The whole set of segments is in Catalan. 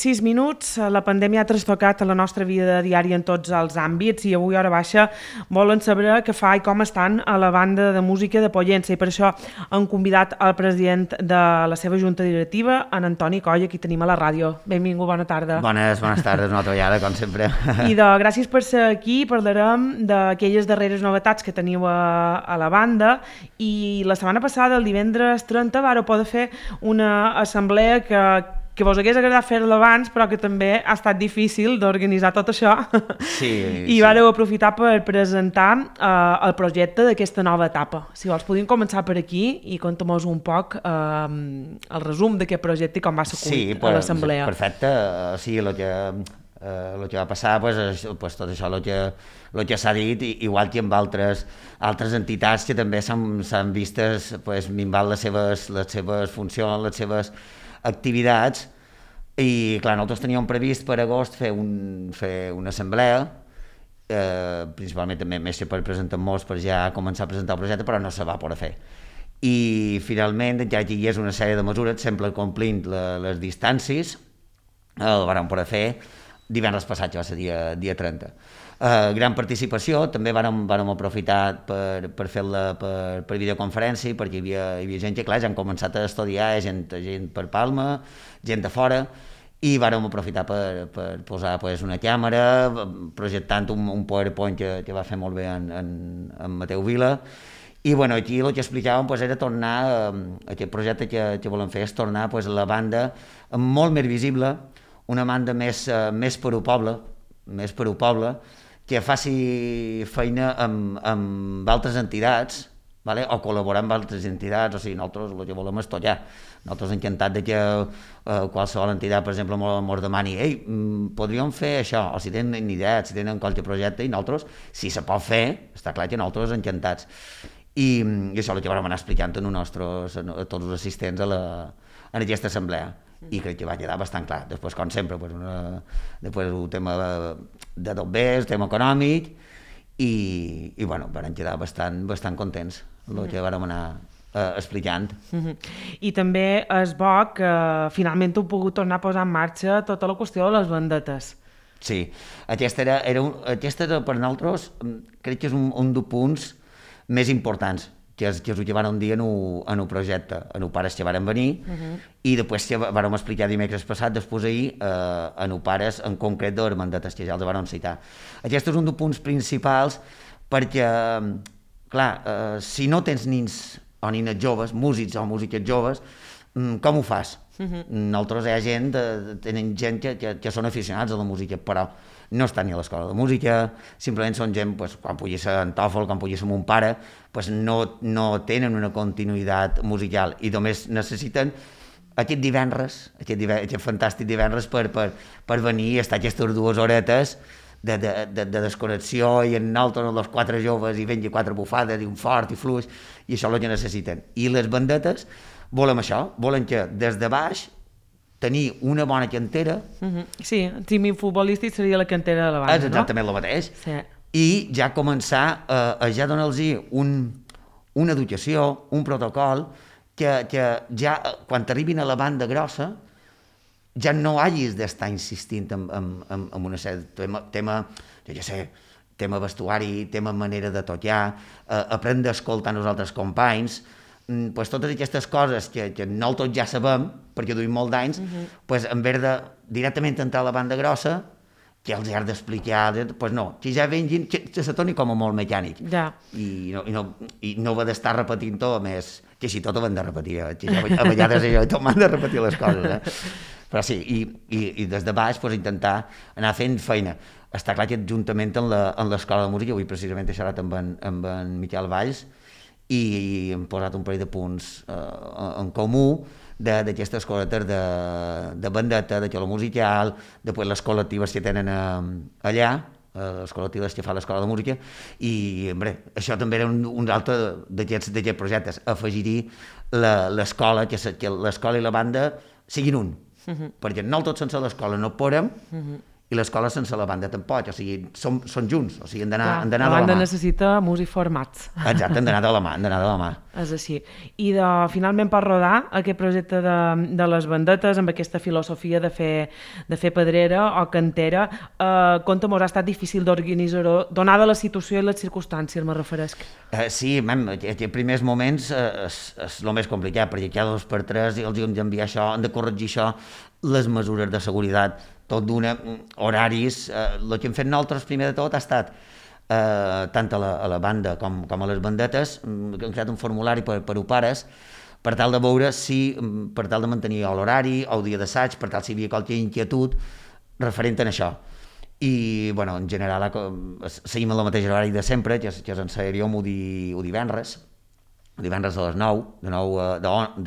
6 minuts. La pandèmia ha trastocat la nostra vida diària en tots els àmbits i avui, hora baixa, volen saber què fa i com estan a la banda de música de Pollença, i per això han convidat el president de la seva junta directiva, en Antoni Coll, aquí tenim a la ràdio. Benvingut, bona tarda. Bones tardes, una altra vegada, com sempre. I gràcies per ser aquí. Parlarem d'aquelles darreres novetats que teniu a la banda, i la setmana passada, el divendres 30, vareu poder fer una assemblea que vos hagués agradat fer-la abans, però que també ha estat difícil d'organitzar tot això. Sí. I vareu aprofitar per presentar el projecte d'aquesta nova etapa. Si vols, podem començar per aquí i conta'm-nos un poc el resum d'aquest projecte i com va ser a l'assemblea. Sí, perfecte. Sí, el que va passar, tot això, el que s'ha dit, igual que amb altres entitats que també s'han vistes minvant les seves funcions, les seves activitats, i clar, nosaltres teníem previst per agost fer una assemblea, principalment també més que per presentar-nos, per ja començar a presentar el projecte, però no se va poder fer. I finalment, ja que hi és una sèrie de mesures, sempre complint les distàncies, el vam poder fer divendres passat, que va ser dia 30. Gran participació, també vam aprofitar per fer-la per videoconferència, perquè hi havia gent que, clar, ja han començat a estudiar, gent per Palma, gent de fora, i vam aprofitar per posar una càmera, projectant un PowerPoint que va fer molt bé en Mateu Vila, i aquí el que explicàvem era tornar, aquest projecte que volem fer és tornar la banda molt més visible, una banda més per al poble, que faci feina amb altres entitats, o col·laborar amb altres entitats. O sigui, nosaltres el que volem és tot ja. Nosaltres encantats que qualsevol entitat, per exemple, ens demani podríem fer això, o si tenen idees, si tenen qualsevol projecte, i nosaltres, si se pot fer, està clar que nosaltres encantats. I això és el que vam anar explicant a tots els assistents en aquesta assemblea. I crec que va quedar bastant clar. Després, com sempre, després el tema de bombers, el tema econòmic, i vam quedar bastant contents el que vam anar explicant. I també és bo que finalment heu pogut tornar a posar en marxa tota la qüestió de les bandetes. Sí, aquesta era per nosaltres, crec que és un dels punts més importants, que és el que vam dir en el projecte, en el pares que varen venir, i després que vam explicar dimecres passat, després ahir, en el pares en concret de les bandetes, que ja els vam citar. Aquest és un dels punts principals, perquè, clar, si no tens nins o nines joves, músics o músiques joves, com ho fas? Nosaltres hi ha gent, tenen gent que són aficionats a la música, però no estan ni a l'escola de música, simplement són gent, quan pugui ser en TOEFL, quan pugui ser mon pare, no tenen una continuïtat musical i només necessiten aquest divendres, aquest fantàstic divendres per venir i estar aquestes 2 horetes de desconnexió, i en nosaltres, els 4 joves, i vengui 4 bufades, i un fort i fluix, i això és el que necessiten. I les bandetes volen això, volen que des de baix tenir una bona cantera. Sí, el tímid futbolístic seria la cantera de la banda, és exactament el mateix. Sí. I ja començar a ja donar-los una educació, un protocol, que ja quan arribin a la banda grossa ja no hagis d'estar insistint en una sèrie de tema vestuari, tema manera de tocar, aprendre a escoltar els altres companys, totes aquestes coses que nosaltres ja sabem, perquè duim molt d'anys, en vez de directament entrar a la banda grossa, que els has d'explicar, no, que ja vengin, que se torni com a molt mecànic. Ja. I no va d'estar repetint tot, més que així tot ho hem de repetir, que a vegades tot m'han de repetir les coses, Però sí, i des de baix intentar anar fent feina. Està clar que juntament amb l'Escola de Música, avui precisament he xerrat amb en Miquel Valls, i hem posat un parell de punts en comú d'aquestes cosetes de bandeta, de xolo musical, després les col·lectives que tenen allà, les col·lectives que fa l'Escola de Música, i això també era un altre d'aquests projectes, afegir-hi l'escola, que l'escola i la banda siguin un, perquè nosaltres sense l'escola no podem, i l'escola sense la banda tampoc, o sigui, són junts, o sigui, han d'anar de la mà. La banda necessita músics formats. Exacte, han d'anar de la mà, És així. I finalment per rodar aquest projecte de les bandetes, amb aquesta filosofia de fer pedrera o cantera, compte-mos, ha estat difícil d'organitzar-ho, donada la situació i les circumstàncies, me referesc. Sí, en primers moments és el més complicat, perquè cada 2 per 3 els hem d'enviar això, han de corregir això, les mesures de seguretat, tot d'una, horaris, el que hem fet nosaltres primer de tot ha estat tant a la banda com a les bandetes, hem creat un formulari per a pares, per tal de veure si, per tal de mantenir l'horari o el dia d'assaig, per tal si hi havia qualque inquietud referent a això. I, bueno, en general, seguim el mateix horari de sempre, que és ensajaríem el divendres a les 9, de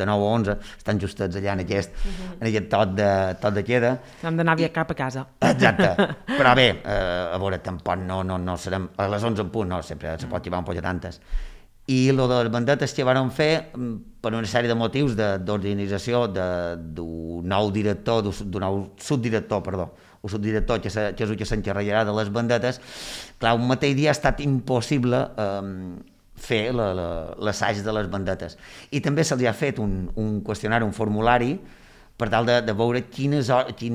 9 a 11, estan justets allà en aquest tot de queda. Hem d'anar cap a casa. Exacte, però bé, a veure, tampoc no serem a les 11 en punt, no, sempre se pot llevar un poc tantes. I el de les bandetes que vam fer, per una sèrie de motius d'organització d'un nou director, d'un nou subdirector, el subdirector que és el que s'encarregarà de les bandetes, clar, un mateix dia ha estat impossible fer l'assaig de les bandetes. I també se'ls ha fet un qüestionari, un formulari, per tal de veure quins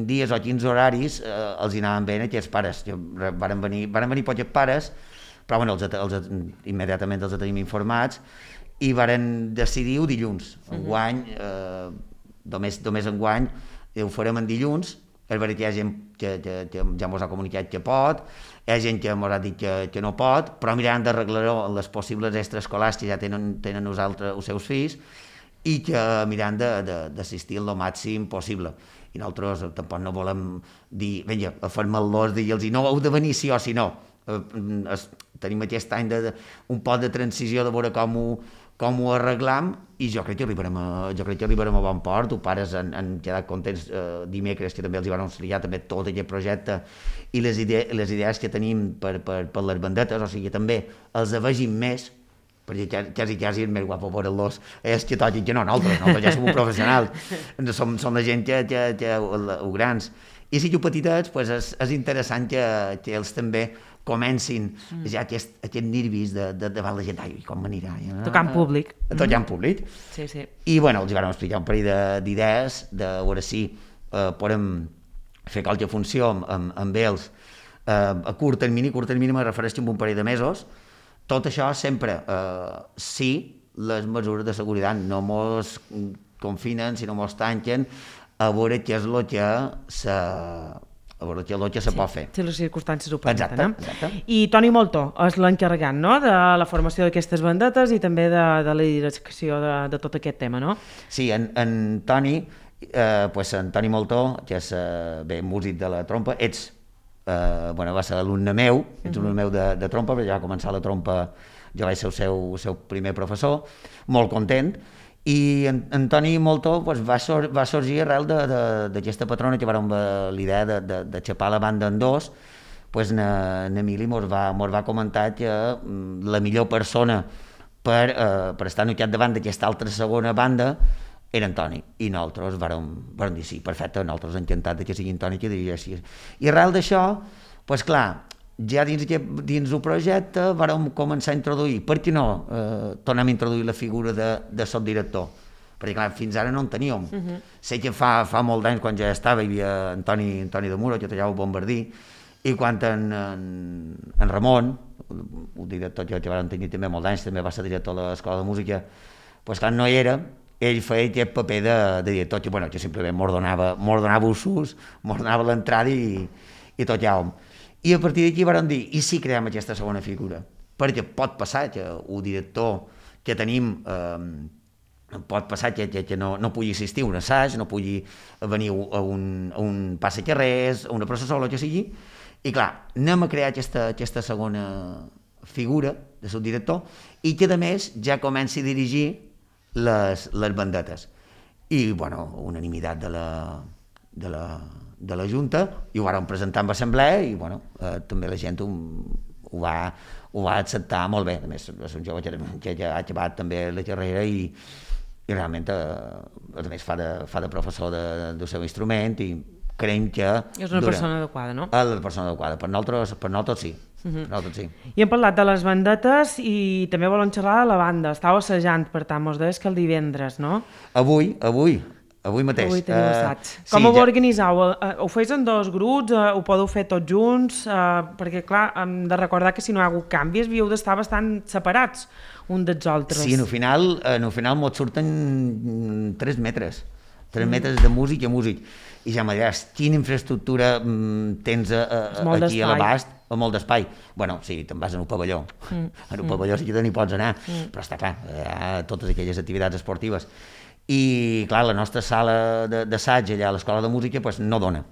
dies o quins horaris els anaven bé a aquests pares. Varen venir pocs pares, però bueno, immediatament els tenim informats, i varen decidir el dilluns. Enguany, només enguany, ho farem en dilluns. És veritat que hi ha gent que ja ens ha comunicat que pot, hi ha gent que ens ha dit que no pot, però miraran d'arreglar-ho en les possibles extraescolars que ja tenen els seus fills, i que miraran d'assistir el màxim possible. I nosaltres tampoc no volem dir, vinga, fermar-los, dir-los, no heu de venir sí o sí no. Tenim aquest any un poc de transició de veure com ho arreglam, i jo crec que arribarem a bon port. Els pares han quedat contents dimecres, que també els hi van explicar també tot aquest projecte i les idees que tenim per les bandetes, o sigui, també els vegin més, perquè quasi és més guapo veure-los, és que toquin que no, nosaltres ja som professionals, som la gent que grans. I si jo petitets, és interessant que ells també comencin ja aquest nervis davant la gent, com m'anirà? Tocant públic. Tocant públic. Sí, sí. I, bueno, els vam explicar un parell d'idees, de veure si podem fer qualque funció amb ells a curt termini me refereixo a un parell de mesos. Tot això sempre, si les mesures de seguretat no mos confinen, si no mos tanquen, a veure què és el que se pot fer. Si les circumstàncies ho permeten. Exacte. I Toni Moltó és l'encarregat, no?, de la formació d'aquestes bandetes i també de la direcció de tot aquest tema, no? Sí, en Toni Moltó, que és músic de la trompa, va ser alumne meu, ets un alumne meu de trompa, perquè ja va començar la trompa, jo vaig ser el seu primer professor, molt content. I en Toni Moltó va sorgir arrel d'aquesta patrona que vàrem l'idea de xapar la banda en dos. N'Emili mos va comentar que la millor persona per estar al capdavant d'aquesta altra segona banda era en Toni, i nosaltres vàrem dir sí, perfecte, nosaltres encantats que sigui en Toni que diria així. I arrel d'això, clar, ja dins el projecte vàrem començar a introduir, per què no tornem a introduir la figura de subdirector? Perquè clar, fins ara no en teníem. Sé que fa molt d'anys, quan ja estava, hi havia Antoni de Muro, que tallava el bombardí, i quan en Ramon, el director que vam tenir també molt d'anys, també va ser director de l'Escola de Música, clar, no hi era, ell feia aquest paper de director, que simplement m'ordenava usos, m'ordenava l'entrada i tocàvem. I a partir d'aquí vam dir, i si creem aquesta segona figura? Perquè pot passar que el director que tenim pot passar que no pugui assistir a un assaig, no pugui venir a un passacarrers, a una processó, o el que sigui, i clar, anem a crear aquesta segona figura de subdirector i que a més ja comenci a dirigir les bandetes. I, unanimitat de la Junta, i ho vàrem presentar en assemblea, i també la gent ho va acceptar molt bé. A més, és un jove que ja ha acabat també la carrera i realment a més fa de professor del seu instrument, i creiem que... És una persona adequada, no? És la persona adequada. Per nosaltres sí. Sí. I hem parlat de les bandetes i també volem xerrar de la banda. Estava assajant, per tant, mos deies que el divendres, no? Avui mateix. Avui teniu assaig. Com ho organitzau? Ho feis en 2 grups? Ho podeu fer tots junts? Perquè, clar, hem de recordar que si no hi ha hagut canvis havíeu d'estar bastant separats un dels altres. Sí, en el final mos surten 3 metres. 3 metres de músic a músic. I ja me diràs, quina infraestructura tens aquí a l'abast, o molt d'espai. Bueno, sí, te'n vas en un pavelló. En un pavelló sí que n'hi pots anar, però està clar, hi ha totes aquelles activitats esportives. I, clar, la nostra sala d'assaig allà a l'Escola de Música pues, no dona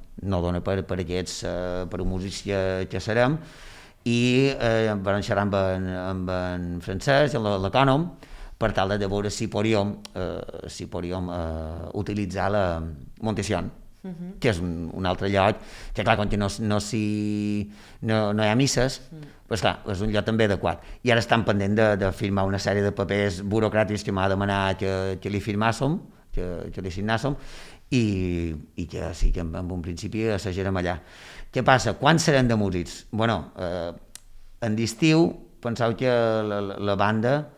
per aquests, per un músics que serem, i vam xerrar amb en Francesc, l'ecònom, per tal de veure si podíem utilitzar la Montession, que és un altre lloc, que clar, com que no hi ha misses, doncs clar, és un lloc també adequat. I ara estan pendent de firmar una sèrie de papers burocràtics que m'ha demanat que li firmàssim, que li signàssim, i que sí, que en un principi assajarem allà. Què passa? Quan serem de músics? Bueno, en d'estiu penseu que la banda,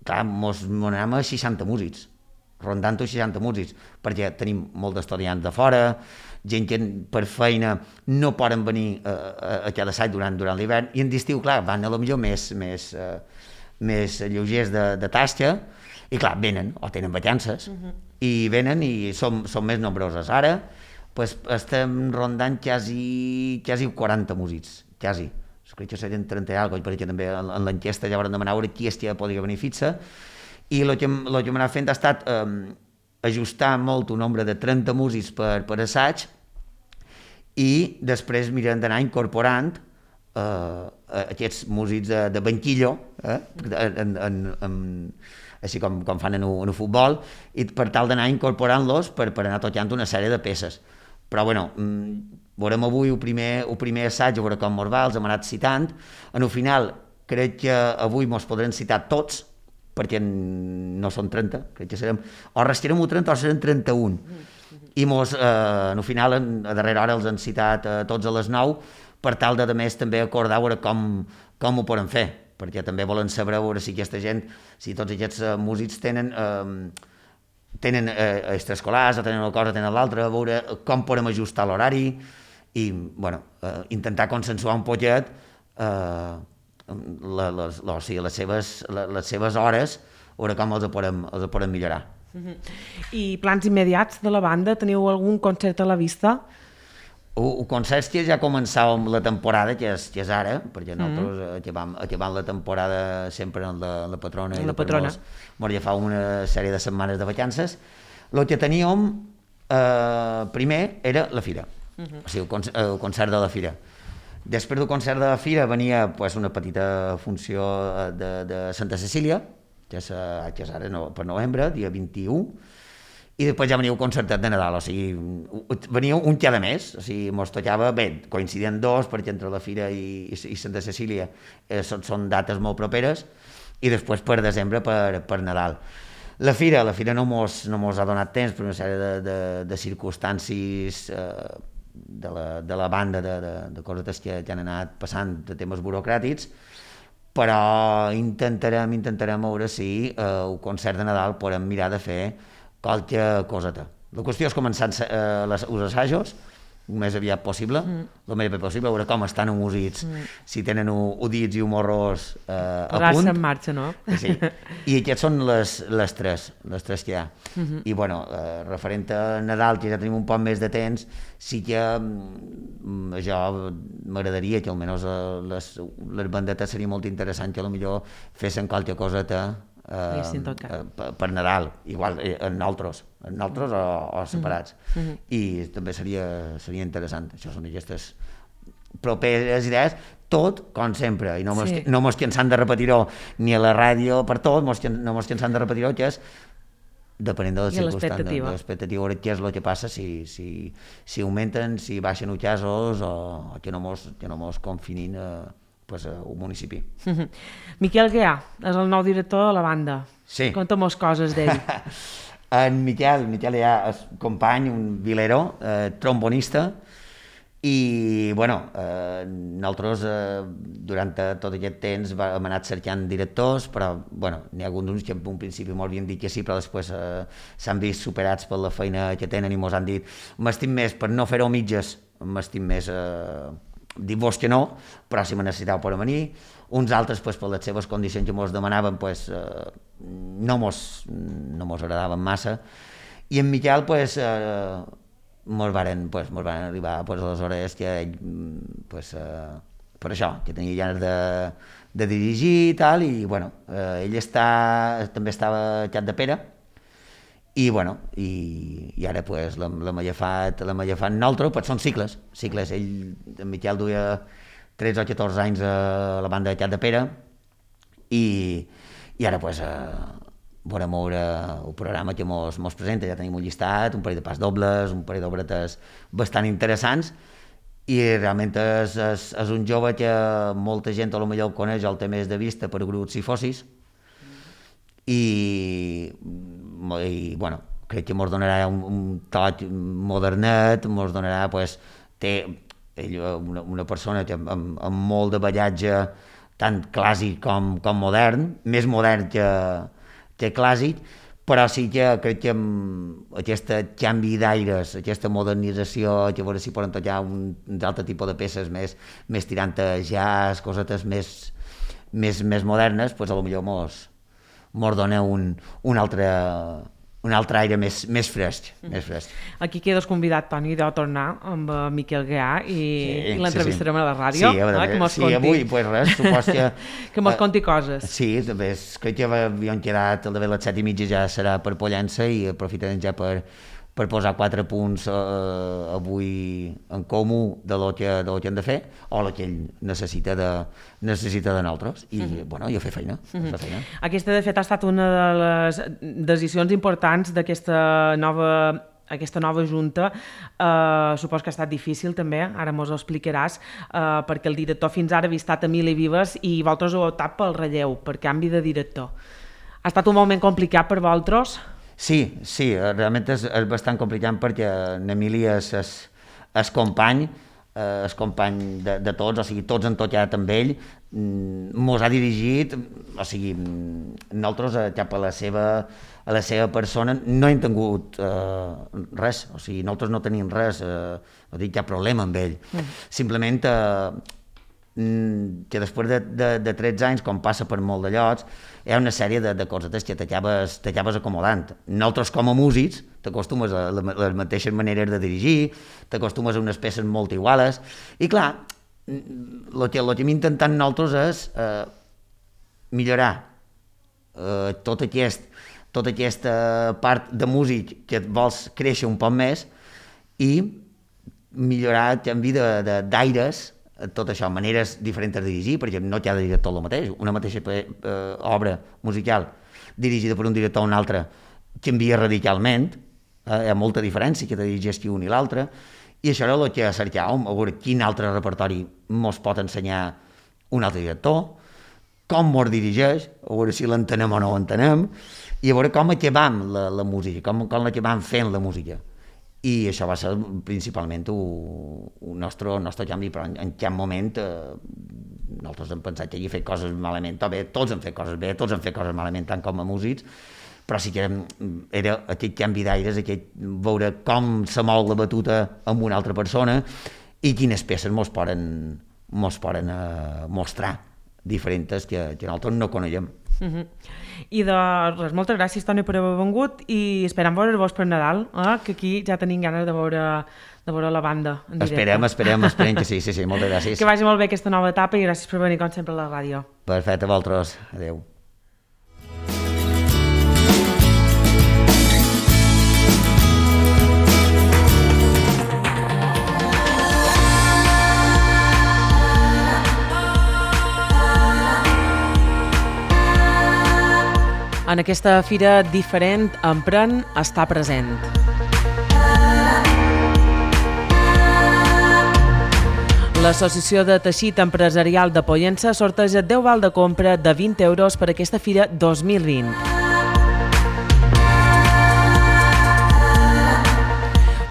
clar, mos anem a 60 músics, rondant els 60 músics, perquè tenim molts d'estudiants de fora, gent que per feina no poden venir a cada assaig durant l'hivern, i en d'estiu, clar, van a lo millor més lleugers de tasca, i clar, venen, o tenen vacances, i venen i som més nombroses. Ara pues, estem rondant quasi 40 músics, quasi. Crec que serien 30 i alguna cosa, perquè també en l'enquesta ja vam demanar qui és que podria venir fixa, i el que hem anat fent ha estat ajustar molt un nombre de 30 músics per assaig, i després mirem d'anar incorporant aquests músics de banquillo, així com fan en el futbol, i per tal d'anar incorporant-los per anar tocant una sèrie de peces. Però bueno, veurem avui el primer assaig, a veure com mos va, els hem anat citant. En el final crec que avui mos podrem citar tots, perquè no són 30, crec que serem, o restarem 30 o serem 31. I mos, en el final, a darrera hora els han citat tots a les 9, per tal de més també acordar veure com ho podem fer, perquè també volen saber veure si aquesta gent, si tots aquests músics tenen extraescolars, o tenen una cosa, tenen l'altra, veure com podem ajustar l'horari, i bueno, intentar consensuar un poquet les seves hores, veure com els podem millorar. I plans immediats de la banda? Teniu algun concert a la vista? El concert que ja començàvem la temporada, que és ara, perquè nosaltres acabant la temporada sempre en la Patrona, i mos ja fa una sèrie de setmanes de vacances. El que teníem primer era la fira, o sigui, el concert de la fira. Després del concert de la fira venia una petita funció de Santa Cecília, que és ara per novembre, dia 21, i després ja venia el concertet de Nadal, o sigui, venia un cada mes, o sigui, mos tocava, bé, coincidien 2, perquè entre la fira i Santa Cecília són dates molt properes, i després per desembre per Nadal. La fira no mos ha donat temps per una sèrie de circumstàncies de la banda, de coses que han anat passant, de temes burocràtics, però intentarem veure si el concert de Nadal podem mirar de fer qualque coseta. La qüestió és començar els assajos el més aviat possible, veure com estan els músics, si tenen udits i morros a punt. Posar-se en marxa, no? Sí. I aquests són les tres que hi ha. I bueno, referent a Nadal, que ja tenim un poc més de temps, sí que jo m'agradaria que almenys les bandetes seria molt interessant que potser fessin qualque coseta per Nadal, igual en altres o separats, i també seria interessant. Això són aquestes properes idees, tot com sempre, i no mos cansem de repetir-ho ni a la ràdio per tot, no mos cansem de repetir-ho, que és depenent de les circumstàncies, de l'expectativa, què és el que passa, si augmenten, si baixen els casos, o que no mos confinin un municipi. Miquel Guià és el nou director de la banda. Sí. Conta-mos coses d'ell. En Miquel ja és company, un vilero, trombonista, i bueno, nosaltres durant tot aquest temps hem anat cercant directors, però bueno, n'hi ha alguns que en un principi m'havien dit que sí, però després s'han vist superats per la feina que tenen i mos han dit m'estim més, per no fer-ho mitges, m'estim més dir-vos que no, però si me necessiteu per venir. Uns altres, pues, per les seves condicions que mos demanaven, pues, no mos agradaven massa, i en Miquel pues, mos varen arribar pues, aleshores que ell, pues, per això, que tenia ganes de dirigir i tal, i bueno, ell també estava a Capdepera, i bueno, i ara pues, l'hem agafat nosaltres, pues són cicles, ell, en Miquel duia 13 o 14 anys a la banda de Capdepera, i ara pues, volem veure el programa que mos presenta, ja tenim un llistat, un parell de pas dobles, un parell d'obretes bastant interessants, i realment és un jove que molta gent a lo millor el coneix, el té més de vista per grups i fossis, i bueno, crec que mos donarà un toc modernet, mos donarà, pues, té ell una persona que amb molt de ballatge tant clàssic com modern, més modern que clàssic, però sí que crec que amb aquest canvi d'aires, aquesta modernització, que a veure si poden tocar un altre tipus de peces més tirant a jazz, cosetes més modernes, pues a lo millor mos dona un altre aire més fresc. Aquí quedes convidat, Toni, de tornar amb Miquel Gea i l'entrevistarem a la ràdio. Sí, avui, pues res, supos que... que mos conti coses. Sí, també, crec que havíem quedat el de les 7:30 ja serà per Pollença i aprofitarem ja per posar 4 punts avui en comú de lo que hem de fer o lo que ell necessita de nosaltres i bueno, jo fer feina. Aquesta de fet ha estat una de les decisions importants d'aquesta nova junta. Supos que ha estat difícil també, ara mos ho explicaràs, perquè el director fins ara havia estat Emili Vives i vosaltres heu optat pel relleu, per canvi de director. Ha estat un moment complicat per vosaltres? Sí, realment és bastant complicat perquè n'Emili és company de tots, o sigui, tots han tocat amb ell, mos ha dirigit, o sigui, nosaltres cap a la seva persona no hem tingut res, o sigui, nosaltres no tenim res, no tinc cap problema amb ell, simplement que després de 13 anys, com passa per molt de llocs, hi ha una sèrie de cosetes que t'acabes acomodant. Nosaltres, com a músics, t'acostumes a les mateixes maneres de dirigir, t'acostumes a unes peces molt iguales, i clar, el que hem intentat nosaltres és millorar tota aquesta part de músic que vols créixer un poc més i millorar el canvi d'aires, tot això, maneres diferents de dirigir, perquè no t'ha de dir tot el mateix, una mateixa obra musical dirigida per un director o un altre canvia radicalment, hi ha molta diferència que te dirigeixi un i l'altre, i això era el que cercàvem, a veure quin altre repertori mos pot ensenyar un altre director, com mos dirigeix, a veure si l'entenem o no l'entenem, i a veure com acabam la música, com l'acabam fent la música. I això va ser principalment el nostre canvi, però en cap moment nosaltres hem pensat que hi he fet coses malament, o bé, tots hem fet coses bé, tots hem fet coses malament, tant com a músics, però sí que era aquest canvi d'aires, veure com se mou la batuta amb una altra persona i quines peces mos poden mostrar diferents que nosaltres no coneixem. I de res, moltes gràcies, Toni, per haver vengut i esperem veure-vos per Nadal, que aquí ja tenim ganes de veure la banda en directe. Esperem que sí, moltes gràcies. Que vagi molt bé aquesta nova etapa i gràcies per venir com sempre a la ràdio. Perfecte, a vosaltres, adeu. En aquesta fira diferent, Emprèn està present. L'Associació de Teixit Empresarial de Pollença sorteja 10 val de compra de 20 euros per aquesta fira 2020.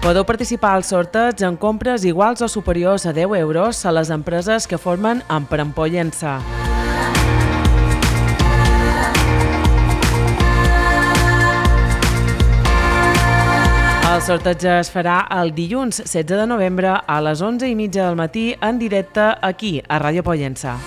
Podeu participar al sorteig en compres iguals o superiors a 10 euros a les empreses que formen Emprèn Pollença. El sorteig es farà el dilluns 16 de novembre a les 11:30 del matí en directe aquí, a Ràdio Pollença.